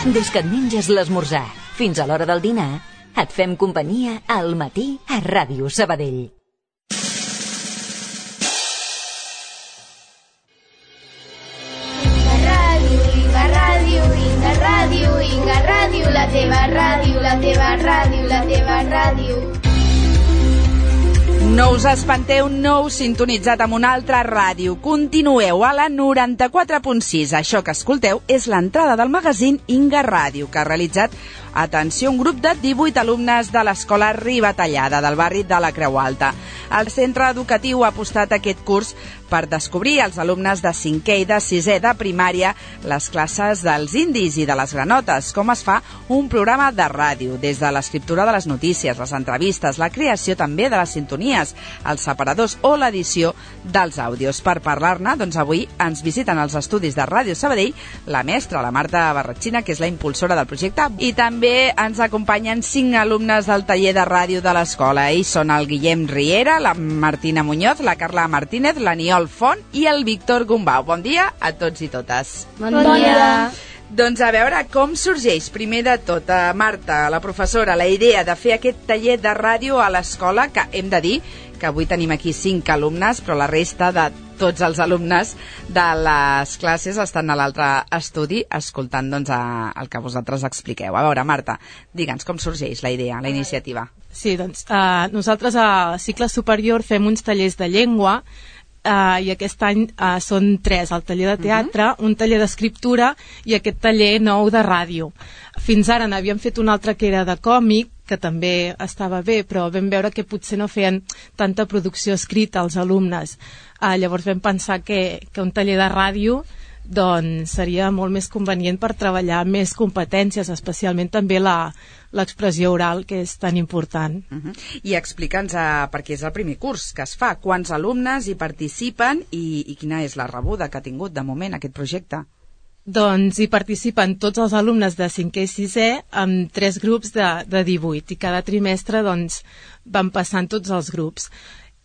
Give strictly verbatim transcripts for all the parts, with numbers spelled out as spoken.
Des que et menges l'esmorzar fins a l'hora del dinar, et fem companyia al matí a Ràdio Sabadell. Inga Ràdio, Inga Ràdio, Inga Ràdio, Inga Ràdio, la teva ràdio, la teva ràdio, la teva ràdio. No us espanteu, no us sintonitzat amb una altra ràdio. Continueu a la noranta-quatre punt sis. Això que escolteu és l'entrada del magazín Inga Ràdio, que ha realitzat, atenció, un grup de divuit alumnes de l'Escola Ribatallada, del barri de la Creu Alta. El centre educatiu ha apostat aquest curs per descobrir als alumnes de cinquè i de sisè de primària les classes dels indis i de les granotes, com es fa un programa de ràdio, des de l'escriptura de les notícies, les entrevistes, la creació també de les sintonies, els separadors o l'edició dels àudios. Per parlar-ne, doncs avui ens visiten als estudis de Ràdio Sabadell la mestra, la Marta Barratxina, que és la impulsora del projecte, i també ens acompanyen cinc alumnes del taller de ràdio de l'escola. Ells són el Guillem Riera, la Martina Muñoz, la Carla Martínez, l'Aniol Font i el Víctor Gumbau. Bon dia a tots i totes. Bon, bon dia. Doncs a veure com sorgeix, primer de tot, a Marta, la professora, la idea de fer aquest taller de ràdio a l'escola, que hem de dir que avui tenim aquí cinc alumnes, però la resta de tots els alumnes de les classes estan a l'altre estudi escoltant doncs, a, el que vosaltres expliqueu. A veure, Marta, digue'ns com sorgeix la idea, la iniciativa. Sí, doncs uh, nosaltres a cicle superior fem uns tallers de llengua uh, i aquest any uh, són tres, el taller de teatre, uh-huh. un taller d'escriptura i aquest taller nou de ràdio. Fins ara n'havíem fet un altre que era de còmic, que també estava bé, però vam veure que potser no feien tanta producció escrita als alumnes. Uh, llavors vam pensar que, que un taller de ràdio doncs, seria molt més convenient per treballar més competències, especialment també la, l'expressió oral, que és tan important. Uh-huh. I explica'ns, uh, perquè és el primer curs que es fa, quants alumnes hi participen i, i quina és la rebuda que ha tingut de moment aquest projecte? Doncs hi participen tots els alumnes de cinquè i sisè amb tres grups de, de divuit i cada trimestre doncs, van passant tots els grups.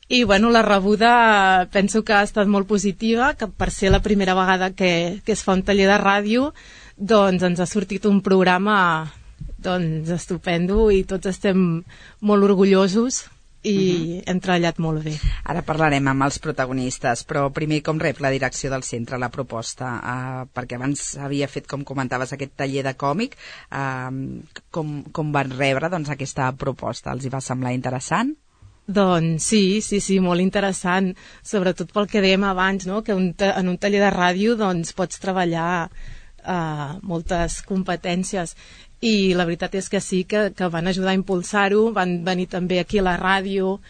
I bueno, la rebuda penso que ha estat molt positiva, que per ser la primera vegada que, que es fa un taller de ràdio doncs ens ha sortit un programa doncs, estupendo i tots estem molt orgullosos i uh-huh. hem treballat molt bé. Ara parlarem amb els protagonistes, però primer com rep la direcció del centre la proposta? Uh, perquè abans havia fet, com comentaves, aquest taller de còmic. Uh, com, com van rebre doncs, aquesta proposta? Els hi va semblar interessant? Doncs sí, sí, sí, molt interessant, sobretot pel que dèiem abans, no? Que un ta- en un taller de ràdio doncs, pots treballar uh, moltes competències. I la veritat és que sí, que, que van ajudar a impulsar-ho, van venir també aquí a la ràdio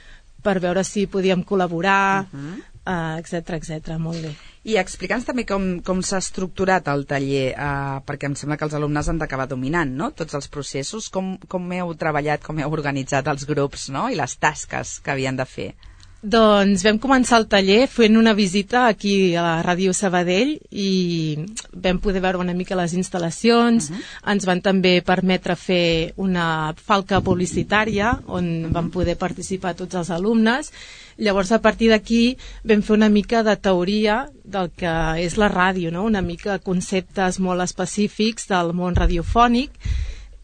per veure si podíem col·laborar, uh-huh. uh, etcètera, etcètera, molt bé. I explica'ns també com, com s'ha estructurat el taller, uh, perquè em sembla que els alumnes han d'acabar dominant, no?, tots els processos. Com, com heu treballat, com heu organitzat els grups, no?, i les tasques que havien de fer? Doncs vam començar el taller fent una visita aquí a la Ràdio Sabadell i vam poder veure una mica les instal·lacions, uh-huh. ens van també permetre fer una falca publicitària on uh-huh. van poder participar tots els alumnes. Llavors a partir d'aquí vam fer una mica de teoria del que és la ràdio, no? Una mica conceptes molt específics del món radiofònic.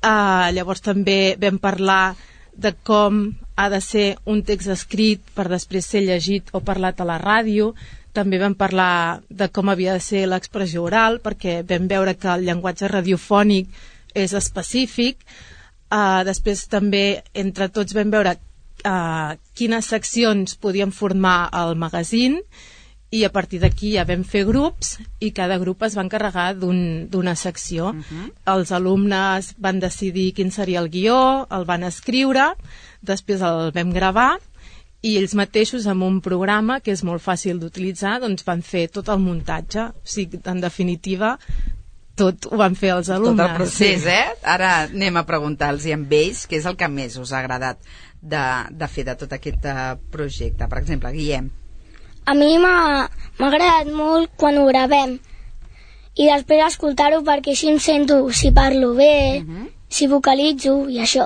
Uh, llavors també vam parlar de com ha de ser un text escrit per després ser llegit o parlat a la ràdio. També vam parlar de com havia de ser l'expressió oral, perquè vam veure que el llenguatge radiofònic és específic. Uh, després també entre tots vam veure uh, quines seccions podien formar el magazín i a partir d'aquí ja vam fer grups i cada grup es va encarregar d'un, d'una secció. Uh-huh. Els alumnes van decidir quin seria el guió, el van escriure, després el vam gravar i ells mateixos amb un programa que és molt fàcil d'utilitzar doncs van fer tot el muntatge. O sigui, en definitiva, tot ho van fer els alumnes. Tot el procés, sí. eh? Ara anem a preguntar-los amb ells què és el que més us ha agradat de, de fer de tot aquest uh, projecte. Per exemple, Guillem. A mi m'ha, m'ha agradat molt quan ho gravem i després escoltar-ho perquè així em sento si parlo bé, uh-huh. si vocalitzo i això.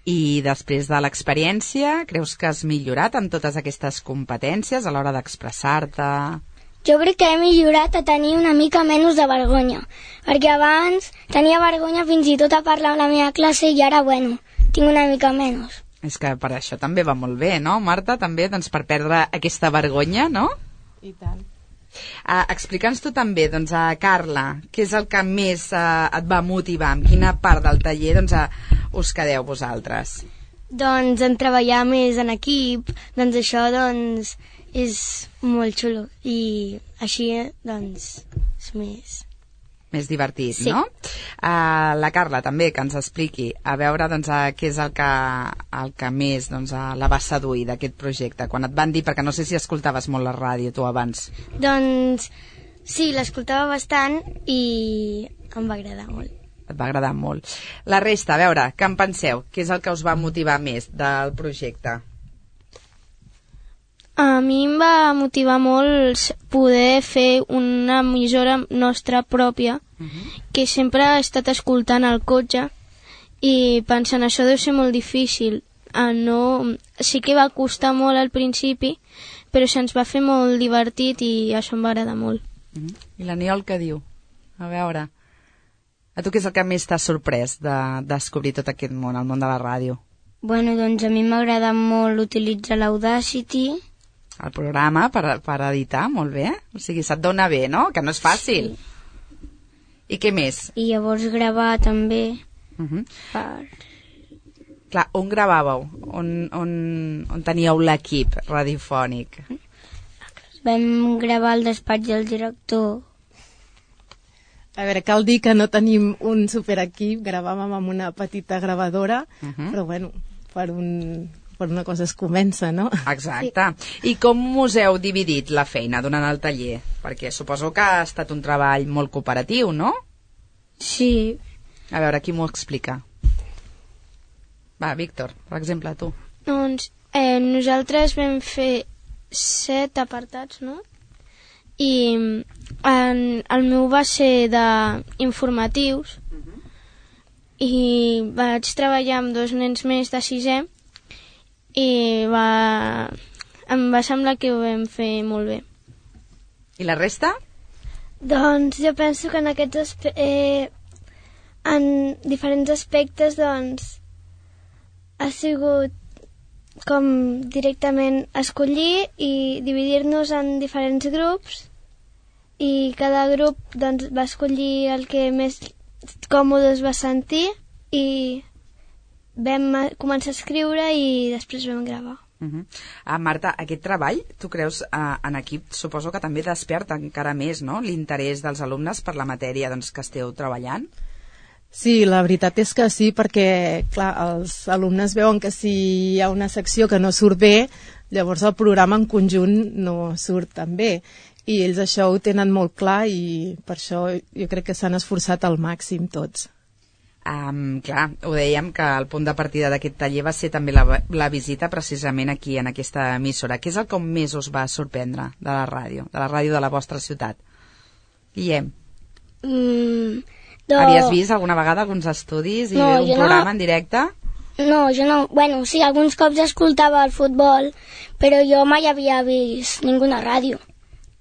I després de l'experiència, creus que has millorat en totes aquestes competències a l'hora d'expressar-te? Jo crec que he millorat a tenir una mica menys de vergonya, perquè abans tenia vergonya fins i tot a parlar amb la meva classe i ara, bueno, tinc una mica menys. És que per això també va molt bé, no, Marta? També, doncs, per perdre aquesta vergonya, no? I tant. Uh, Explica'ns tu també, doncs, a Carla, què és el que més uh, et va motivar? En quina part del taller doncs, uh, us quedeu vosaltres? Doncs en treballar més en equip, doncs això doncs, és molt xulo i així doncs, és més... Més divertit, sí. No? Uh, la Carla també, que ens expliqui, a veure doncs, uh, què és el que, el que més doncs, uh, la va seduir d'aquest projecte, quan et van dir, perquè no sé si escoltaves molt la ràdio tu abans. Doncs sí, l'escoltava bastant i em va agradar molt. Et va agradar molt. La resta, a veure, què en penseu? Què és el que us va motivar més del projecte? A mi em va motivar molt poder fer una emissora nostra pròpia, uh-huh. que sempre he estat escoltant al cotxe i pensant, això deu ser molt difícil. Ah, no... Sí que va costar molt al principi, però se'ns va fer molt divertit i això em va agradar molt. Uh-huh. I l'Aniol què diu? A veure, a tu què és el que més t'ha sorprès de descobrir tot aquest món, el món de la ràdio? Bueno, doncs a mi m'agrada molt utilitzar l'Audacity. El programa per, per editar, molt bé. O sigui, se't dona bé, no? Que no és fàcil. Sí. I què més? I llavors gravar també. Uh-huh. Per... Clar, on gravàveu? On, on, on teníeu l'equip radiofònic? Vam gravar al despatx del director. A veure, cal dir que no tenim un superequip, gravàvem amb una petita gravadora, uh-huh. però bueno, per un... per una cosa es comença, no? Exacte. Sí. I com us heu dividit la feina durant el taller? Perquè suposo que ha estat un treball molt cooperatiu, no? Sí. A veure, qui m'ho explica? Va, Víctor, per exemple, tu. Doncs eh, nosaltres vam fer set apartats, no? I en, el meu va ser d'informatius uh-huh. i vaig treballar amb dos nens més de sisè i va... em va semblar que ho vam fer molt bé. I la resta? Doncs jo penso que en aquests aspe- eh, en diferents aspectes doncs ha sigut com directament escollir i dividir-nos en diferents grups i cada grup doncs va escollir el que més còmode es va sentir i vam començar a escriure i després vam gravar. Uh-huh. Ah, Marta, aquest treball, tu creus, eh, en equip, suposo que també desperta encara més, no?, l'interès dels alumnes per la matèria doncs, que esteu treballant? Sí, la veritat és que sí, perquè, clar, els alumnes veuen que si hi ha una secció que no surt bé, llavors el programa en conjunt no surt tan bé. I ells això ho tenen molt clar i per això jo crec que s'han esforçat al màxim tots. Um, clar, ho dèiem que el punt de partida d'aquest taller va ser també la, la visita precisament aquí, en aquesta emissora. Què és el que més us va sorprendre de la ràdio, de la ràdio de la vostra ciutat? Guillem? Mm, do... Havies vist alguna vegada alguns estudis i no, un programa no... en directe? No, jo no. Bueno, sí, alguns cops escoltava el futbol, però jo mai havia vist ninguna ràdio.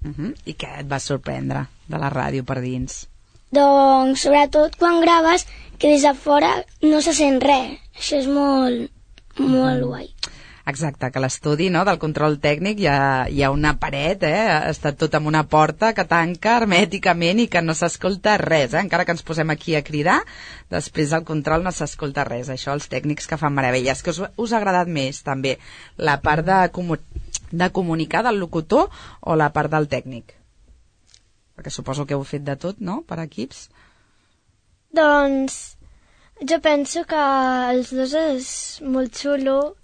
Uh-huh. I què et va sorprendre de la ràdio per dins? Doncs, sobretot quan graves, que des de fora no se sent res. Això és molt, molt guai. Exacte, que l'estudi, no, del control tècnic hi ha, hi ha una paret, eh? Està tot amb una porta que tanca hermèticament i que no s'escolta res, eh? Encara que ens posem aquí a cridar, després del control no s'escolta res. Això els tècnics que fan meravelles. Que us, us ha agradat més, també, la part de, comu de comunicar del locutor o la part del tècnic? Perquè suposo que heu fet de tot, no?, per equips. Doncs jo penso que els dos és molt xulo,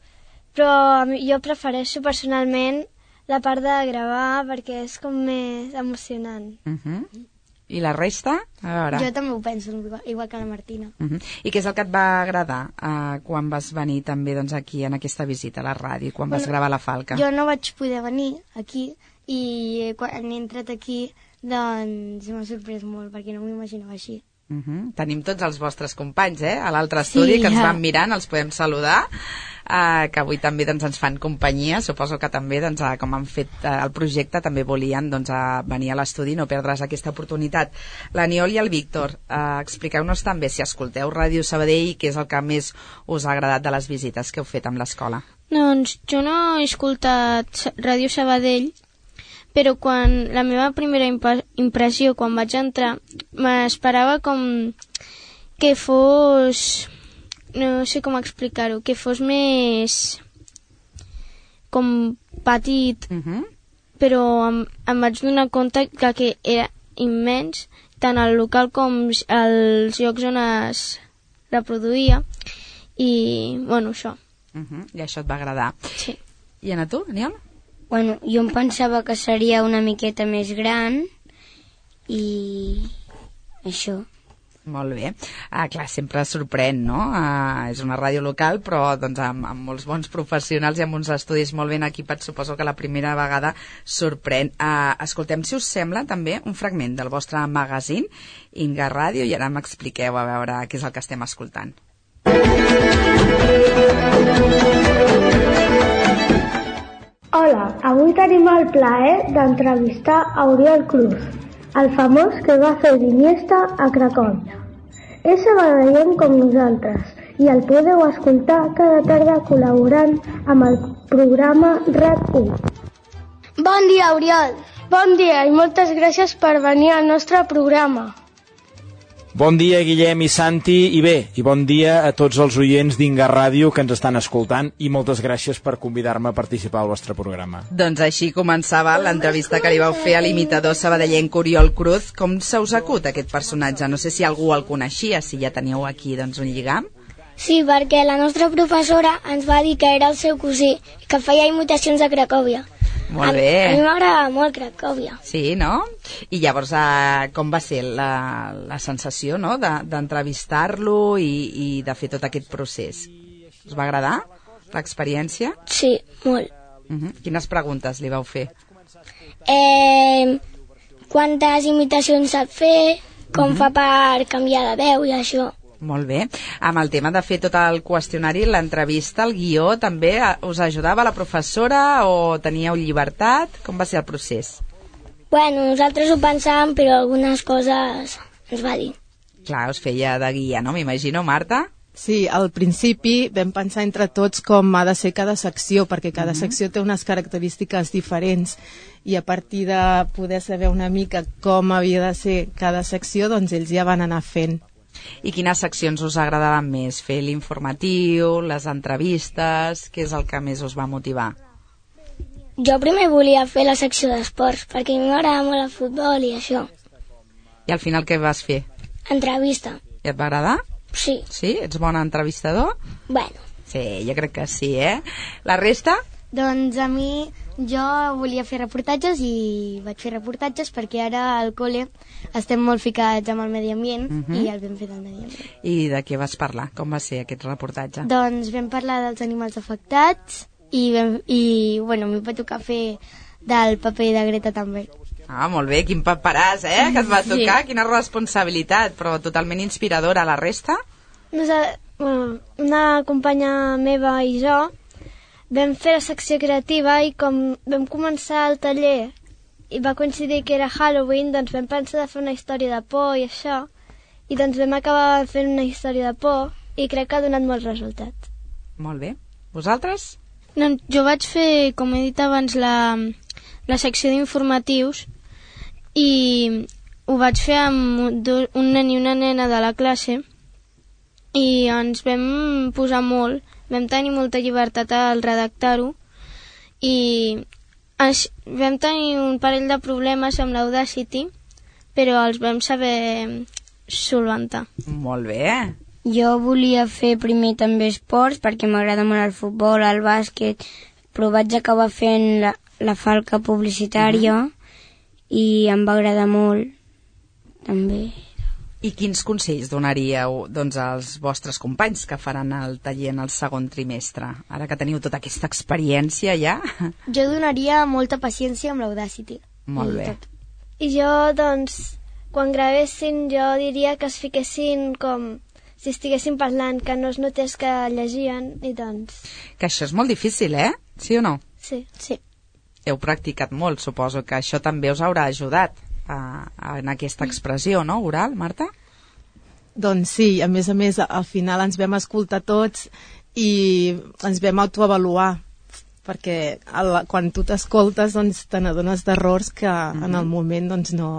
però jo prefereixo personalment la part de gravar perquè és com més emocionant. Uh-huh. I la resta? A veure. Jo també ho penso, igual, igual que la Martina. Uh-huh. I què és el que et va agradar uh, quan vas venir també doncs, aquí en aquesta visita a la ràdio, quan bueno, vas gravar la Falca? Jo no vaig poder venir aquí i quan he entrat aquí doncs m'ha sorprès molt perquè no m'ho imaginava així. Uh-huh. Tenim tots els vostres companys, eh? A l'altre estudi, sí, que ens ja. van mirant, els podem saludar. uh, que avui també doncs, ens fan companyia. Suposo que també, doncs, uh, com han fet uh, el projecte, també volien doncs, uh, venir a l'estudi i no perdre's aquesta oportunitat. L'Aniol i el Víctor, uh, expliqueu-nos també si escolteu Ràdio Sabadell, què és el que més us ha agradat de les visites que heu fet amb l'escola. Doncs jo no he escoltat Ràdio Sabadell, però quan la meva primera impressió quan vaig entrar m'esperava com que fos, no sé com explicar-ho, que fos més com petit, uh-huh. però em, em vaig donar compte que, que era immens, tant el local com els llocs on es reproduïa, i bueno, això. Uh-huh. I això et va agradar. Sí. I a tu, Aniol? Bueno, jo em pensava que seria una miqueta més gran i això. Molt bé. Ah, clar, sempre sorprèn, no? Ah, és una ràdio local, però doncs, amb, amb molts bons professionals i amb uns estudis molt ben equipats, suposo que la primera vegada sorprèn. Ah, escoltem, si us sembla, també un fragment del vostre magazín, Inga Ràdio, i ara m'expliqueu a veure què és el que estem escoltant. Hola, avui tenim el plaer d'entrevistar a Oriol Cruz, el famós que va fer d'Iniesta a Cracòvia. És sabadellenc com nosaltres i el podeu escoltar cada tarda col·laborant amb el programa RAC u. Bon dia, Oriol. Bon dia i moltes gràcies per venir al nostre programa. Bon dia, Guillem i Santi, i bé, i bon dia a tots els oients d'Inga Ràdio que ens estan escoltant, i moltes gràcies per convidar-me a participar al vostre programa. Doncs així començava l'entrevista que li vau fer a l'imitador sabadellenc Oriol Cruz. Com se us acut aquest personatge? No sé si algú el coneixia, si ja teníeu aquí doncs, un lligam. Sí, perquè la nostra professora ens va dir que era el seu cosí, que feia imitacions a Cracòvia. Molt bé. A, a mi m'agrada molt Cracòvia. Sí, no? I llavors, eh, com va ser la, la sensació, no?, de, d'entrevistar-lo i, i de fer tot aquest procés? Us va agradar l'experiència? Sí, molt. Uh-huh. Quines preguntes li vau fer? Eh, quantes imitacions sap fer, com uh-huh. fa per canviar de veu i això. Molt bé. Amb el tema de fer tot el qüestionari, l'entrevista, el guió, també us ajudava la professora o teníeu llibertat? Com va ser el procés? Bueno, nosaltres ho pensàvem, però algunes coses ens va dir. Clar, us feia de guia, no? M'imagino, Marta? Sí, al principi vam pensar entre tots com ha de ser cada secció, perquè cada uh-huh. secció té unes característiques diferents, i a partir de poder saber una mica com havia de ser cada secció, doncs ells ja van anar fent. I quines seccions us agradaven més? Fer l'informatiu, les entrevistes... Què és el que més us va motivar? Jo primer volia fer la secció d'esports, perquè a mi m'agrada molt el futbol i això. I al final què vas fer? Entrevista. I et va agradar? Sí. Sí? Ets bon entrevistador? Bueno. Sí, jo crec que sí, eh? La resta? Doncs a mi, jo volia fer reportatges i vaig fer reportatges perquè ara al col·le estem molt ficats amb el medi ambient uh-huh. i el vam fer del medi ambient. I de què vas parlar? Com va ser aquest reportatge? Doncs vam parlar dels animals afectats i, vam, i bueno, a mi va tocar fer del paper de Greta Thunberg. Ah, molt bé, quin paperàs, eh, que et va tocar, sí. Quina responsabilitat, però totalment inspiradora. La resta? Nosaltres, bueno, una companya meva i jo vam fer la secció creativa i com vam començar el taller i va coincidir que era Halloween, doncs vam pensar de fer una història de por i això, i doncs vam acabar fent una història de por i crec que ha donat molt resultat. Molt bé. Vosaltres? No, jo vaig fer, com he dit abans, la, la secció d'informatius i ho vaig fer amb un nen i una nena de la classe i ens vam posar molt. Vam tenir molta llibertat al redactar-ho i ens, vam tenir un parell de problemes amb l'Audacity, però els vam saber solventar. Molt bé. Jo volia fer primer també esports perquè m'agrada molt el futbol, el bàsquet, però vaig acabar fent la, la falca publicitària uh-huh. i em va agradar molt també. I quins consells donaríeu doncs, als vostres companys que faran el taller en el segon trimestre? Ara que teniu tota aquesta experiència ja. Jo donaria molta paciència amb l'Audacity. Molt bé. Tot. I jo, doncs, quan gravessin, jo diria que es fiquessin com si estiguessin parlant, que no es notés que llegien, i doncs... Que això és molt difícil, eh? Sí o no? Sí. Sí. Heu practicat molt, suposo que això també us haurà ajudat a, a, en aquesta expressió, no, oral, Marta? Doncs sí, a més a més, al final ens vam escoltar tots i ens vam autoavaluar, perquè el, quan tu t'escoltes doncs, te n'adones d'errors que mm-hmm. en el moment doncs, no,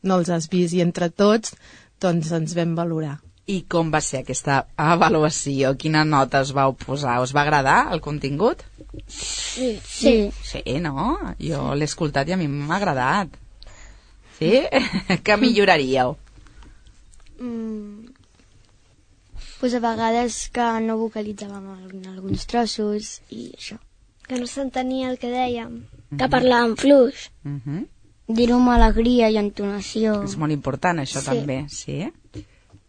no els has vist, i entre tots doncs, ens vam valorar. I com va ser aquesta avaluació? Quina nota us vau posar? Us va agradar el contingut? Sí. Sí, sí no? Jo l'he escoltat i a mi m'ha agradat. Sí? Què milloraríeu? Mm, pues a vegades que no vocalitzàvem en alguns trossos i això. Que no s'entenia el que dèiem. Mm-hmm. Que parlàvem fluix. Mm-hmm. Dir-ho amb alegria i entonació. És molt important, això, sí. també. Sí?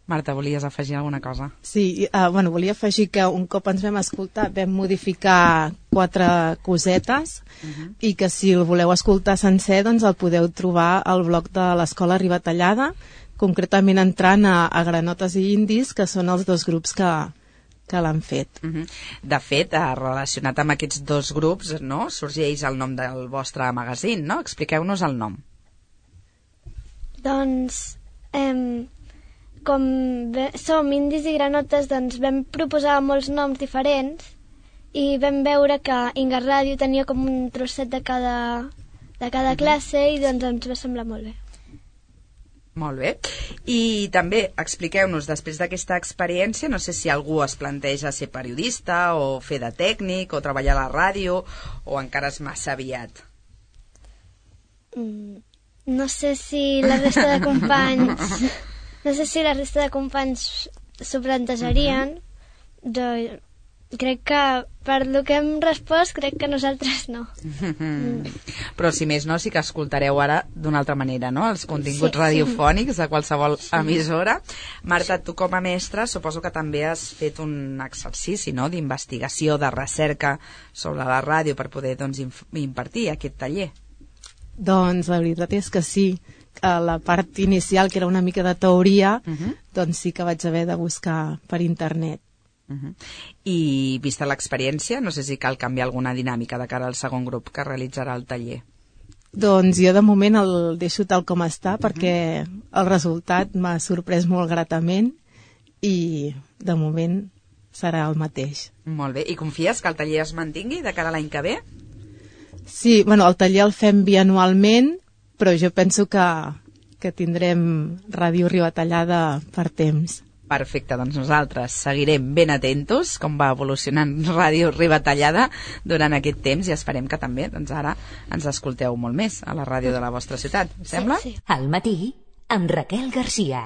Marta, volies afegir alguna cosa? Sí, uh, bueno, volia afegir que un cop ens vam escoltar vam modificar quatre cosetes uh-huh. i que si el voleu escoltar sencer doncs el podeu trobar al blog de l'Escola Ribatallada, concretament entrant a, a Granotes i Indis, que són els dos grups que, que l'han fet. Uh-huh. De fet, relacionat amb aquests dos grups, no, sorgeix el nom del vostre magazín, no? Expliqueu-nos el nom. Doncs... Eh, com ve, som indis i granotes, doncs vam proposar molts noms diferents i vam veure que Inga Ràdio tenia com un trosset de cada, de cada classe i doncs ens va semblar molt bé. Molt bé. I també expliqueu-nos, després d'aquesta experiència, no sé si algú es planteja ser periodista o fer de tècnic o treballar a la ràdio o encara és massa aviat. Mm, no sé si la resta de companys... No sé si la resta de companys s'ho plantejarien, uh-huh. de, crec que per lo que hem respost, crec que nosaltres no. Mm. Però si més no, sí que escoltareu ara d'una altra manera, no?, els continguts sí, radiofònics sí. de qualsevol sí. emissora. Marta, tu com a mestra suposo que també has fet un exercici, no?, d'investigació, de recerca sobre la ràdio per poder doncs, impartir aquest taller. Doncs la veritat és que sí. A la part inicial, que era una mica de teoria, uh-huh. doncs sí que vaig haver de buscar per internet. Uh-huh. I vista l'experiència, no sé si cal canviar alguna dinàmica de cara al segon grup que realitzarà el taller. Doncs jo de moment el deixo tal com està, uh-huh. perquè el resultat m'ha sorprès molt gratament i de moment serà el mateix. Molt bé, i confies que el taller es mantingui de cara a l'any que ve? Sí, bueno, el taller el fem bianualment, però jo penso que, que tindrem Ràdio Ribatallada per temps. Perfecte, doncs nosaltres seguirem ben atentos com va evolucionant Ràdio Ribatallada durant aquest temps i esperem que també doncs ara ens escolteu molt més a la ràdio de la vostra ciutat, sembla? Sí, sí. Al matí, amb Raquel Garcia.